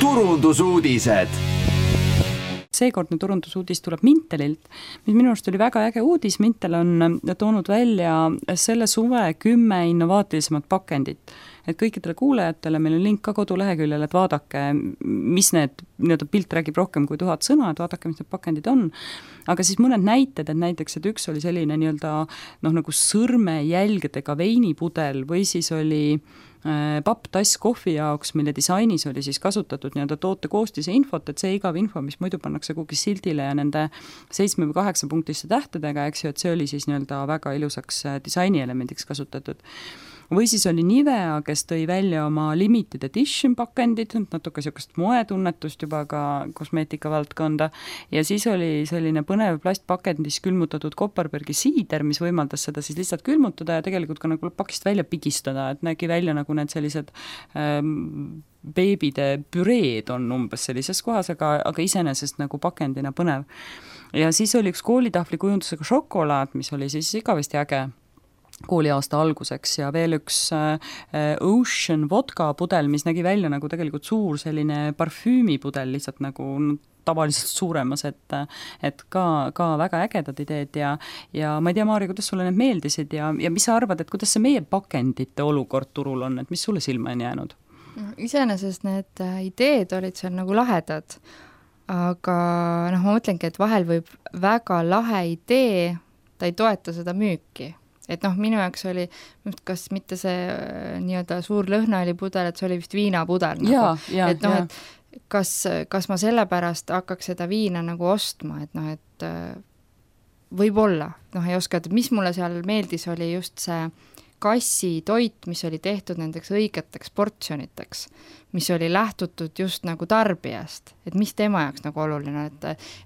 turundusuudised. Seekordne turundusuudis tuleb Mintelilt, mis minu arust oli väga äge uudis. Mintel on toonud välja selle suve 10 innovaatilisemat pakendit. Et kõikidele kuulajatele meil on link ka koduleheküljel, et vaadake, mis need, pilt räägib rohkem kui 1000 sõna, et vaadake, mis need pakendid on. Aga siis mõned näited, et näiteks, et üks oli selline nagu sõrmejälgedega veinipudel või siis oli papptass kohvi jaoks, mille disainis oli siis kasutatud toote koostise infot, et see igav info, mis muidu pannakse kuhugi sildile ja nende 7 või 8 punktisse tähtedega, eks ju, et see oli siis väga ilusaks disainielemendiks kasutatud. Või siis oli Nivea, kes tõi välja oma limited edition pakendid, natuke sellist moetunnetust juba ka kosmeetika valdkonda, ja siis oli selline põnev plastpakendis külmutatud Kopparbergi siider, mis võimaldas seda siis lihtsalt külmutada ja tegelikult ka nagu pakist välja pigistada, et nägi välja nagu need sellised beebide püreed on umbes sellises kohas, aga iseenesest nagu pakendina põnev. Ja siis oli üks koolitahvli kujundusega šokolaad, mis oli siis igavesti äge kooliaasta alguseks, ja veel üks Ocean vodka pudel, mis nägi välja nagu tegelikult suur selline parfüümipudel, lihtsalt nagu tavaliselt suuremas, et ka väga ägedad ideed ja ma ei tea, Maarja, kuidas sulle need meeldisid ja mis sa arvad, et kuidas see meie pakendite olukord turul on, et mis sulle silma on jäänud? Iseenesest need ideed olid seal nagu lahedad, aga ma mõtlengi, et vahel võib väga lahe idee, ta ei toeta seda müüki. Et minu jaoks oli, kas mitte see nii-öelda suur lõhnaolipudel, et see oli vist viinapudel. Et kas ma sellepärast hakkaks seda viina nagu ostma, et võib-olla, ei oska, et mis mulle seal meeldis, oli just see kassi toit, mis oli tehtud nendeks õigeteks portsjoniteks, mis oli lähtutud just nagu tarbijast, et mis tema jaoks nagu oluline,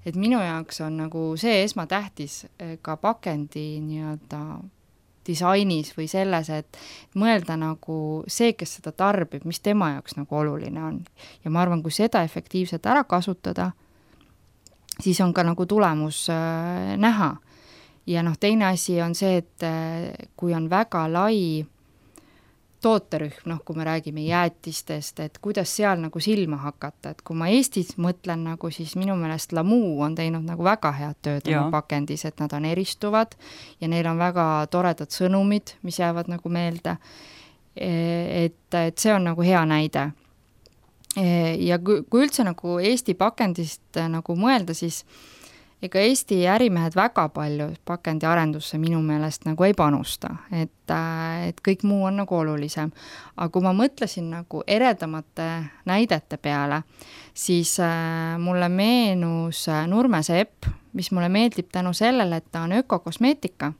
et minu jaoks on nagu see esmatähtis ka pakendi nii-öelda disainis või selles, et mõelda nagu see, kes seda tarbib, mis tema jaoks nagu oluline on. Ja ma arvan, kui seda efektiivselt ära kasutada, siis on ka nagu tulemus näha. Ja teine asi on see, et kui on väga lai tooterühm, kui me räägime jäätistest, et kuidas seal nagu silma hakata, et kui ma Eestis mõtlen nagu, siis minu meelest Lamu on teinud nagu väga head tööd oma pakendis, et nad on eristuvad ja neil on väga toredad sõnumid, mis jäävad nagu meelde, et see on nagu hea näide. Ja kui üldse nagu Eesti pakendist nagu mõelda, siis ega Eesti ärimehed väga palju pakendi arendusse minu meelest nagu ei panusta, et kõik muu on nagu olulisem. Aga kui ma mõtlesin nagu eredamate näidete peale, siis mulle meenus Nurme Sepp, mis mulle meeldib tänu sellele, et ta on ökokosmeetika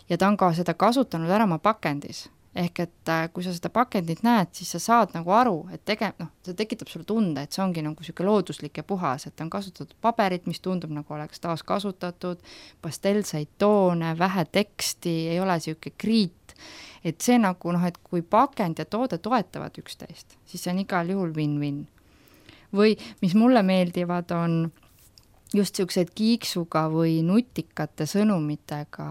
ja ta on ka seda kasutanud ära oma pakendis. Ehk et kui sa seda pakendit näed, siis sa saad nagu aru, et see tekitab sulle tunde, et see ongi nagu selline looduslik ja puhas, et on kasutatud paberit, mis tundub nagu oleks taas kasutatud, pastelseid toone, vähe teksti, ei ole selline kriit, et see nagu et kui pakend ja toode toetavad üksteist, siis see on igal juhul win-win. Või mis mulle meeldivad on just sellised kiiksuga või nutikate sõnumitega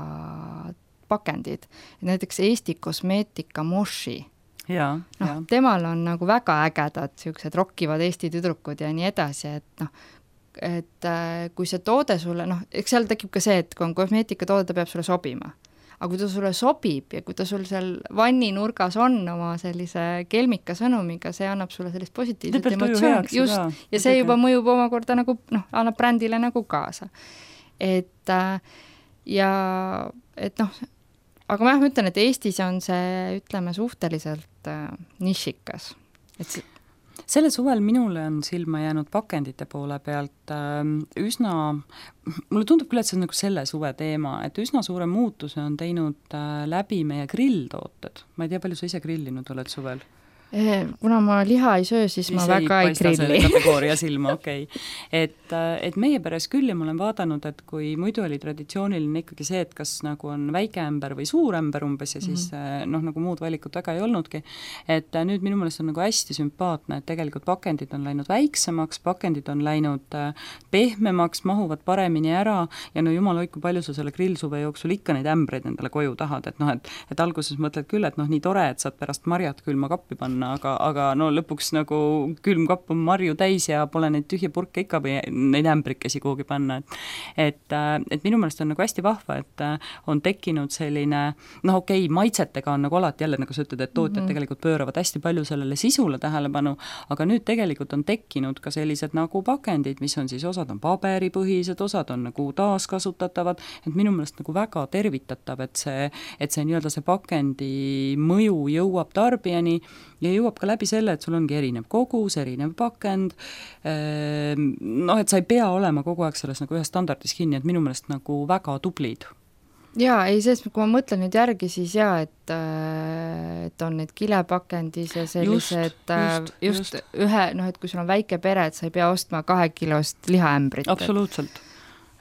pakendid, näiteks Eesti kosmeetika Moshi. Temal on nagu väga ägedad sellised rokkivad Eesti tüdrukud ja nii edasi, et kui see toode sulle, eks seal tekib ka see, et kui on kosmeetika toode, ta peab sulle sobima. Aga kui ta sulle sobib ja kui ta sul seal vanninurgas on oma sellise kelmika sõnumiga, see annab sulle sellist positiivset emotsioon. Just, ja see juba mõjub omakorda nagu, annab brändile nagu kaasa. Aga ma ütlen, et Eestis on see, ütleme, suhteliselt nišikas. Selle suvel minule on silma jäänud pakendite poole pealt üsna, mulle tundub küll, et see on nagu selle suve teema, et üsna suure muutuse on teinud läbi meie grilltooted. Ma ei tea, palju sa ise grillinud oled suvel? Kuna ma liha ei söö, siis ma väga ei grilli. Kategooria silma, okei. Et meie peres küll ja ma olen vaadanud, et kui muidu oli traditsiooniline ikkagi see, et kas nagu on väike ämber või suur ämber umbes ja siis nagu muud valikut väga ei olnudki, et nüüd minu meelest on nagu hästi sümpaatne, et tegelikult pakendid on läinud väiksemaks, pakendid on läinud pehmemaks, mahuvad paremini ära ja jumal hoidku, palju sa selle grillsuve jooksul ikka neid ämbreid endale koju tahad, et alguses mõtled küll, et nii tore, et saad pärast marjad külma kappi panna panna, aga no lõpuks nagu külmkapp on marju täis ja pole neid tühje purke ikka või neid ämbrikesi kuhugi panna, et minu meelest on nagu hästi vahva, et on tekkinud selline, noh okei, maitsetega on nagu alati jälle, nagu sa ütled, et tootjad tegelikult pööravad hästi palju sellele sisule tähelepanu, aga nüüd tegelikult on tekkinud ka sellised nagu pakendid, mis on siis, osad on paberipõhised, osad on nagu taaskasutatavad, et minu meelest nagu väga tervitatav, et see nii-öelda see pakendi mõju jõuab tarbijani ja jõuab ka läbi selle, et sul ongi erinev kogus, erinev pakend, noh, et sa ei pea olema kogu aeg selles nagu ühes standardis kinni, et minu meelest nagu väga tublid. Jaa, ei, sest kui ma mõtlen nüüd järgi, siis jaa, et on need kilepakendis ja sellised just ühe, noh, et kui sul on väike pere, et sa ei pea ostma 2 kilost lihaämbrit. Absoluutselt.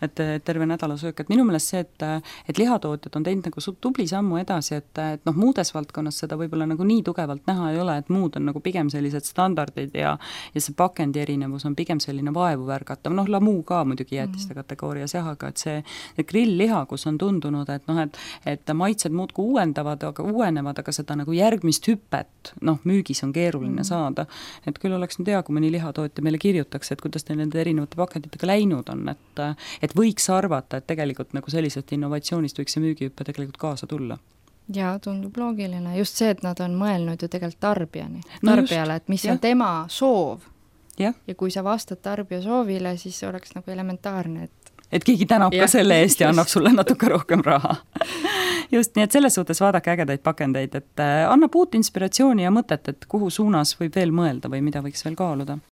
Et terve nädala söök, et minu meelest see, et lihatootjad on teinud nagu tubli sammu edasi, et noh, muudes valdkonnas seda võib-olla nagu nii tugevalt näha ei ole, et muud on nagu pigem sellised standardid ja see pakendi erinevus on pigem selline vaevu värgatav, noh, lamuu ka muidugi jäätiste kategoorias jah, aga et see grillliha, kus on tundunud, et noh, et maitsed muudku uuenevad, aga seda nagu järgmist hüpet, noh, müügis on keeruline saada, et küll oleks nüüd hea, kui mõni lihatootja meile kirjutaks, et kuidas teil nende erinevate pakenditega läinud on, et võiks arvata, et tegelikult nagu sellisest innovatsioonist võiks see müügihüppe tegelikult kaasa tulla. Jaa, tundub loogiline. Just see, et nad on mõelnud ju tegelikult tarbijale, et mis on tema soov. Ja kui sa vastad tarbija soovile, siis oleks nagu elementaarne, et keegi tänab ka selle eest ja annab sulle natuke rohkem raha. Just, nii et selles suhtes vaadake ägedaid pakendeid, et annab uut inspiratsiooni ja mõtet, et kuhu suunas võib veel mõelda või mida võiks veel kaaluda.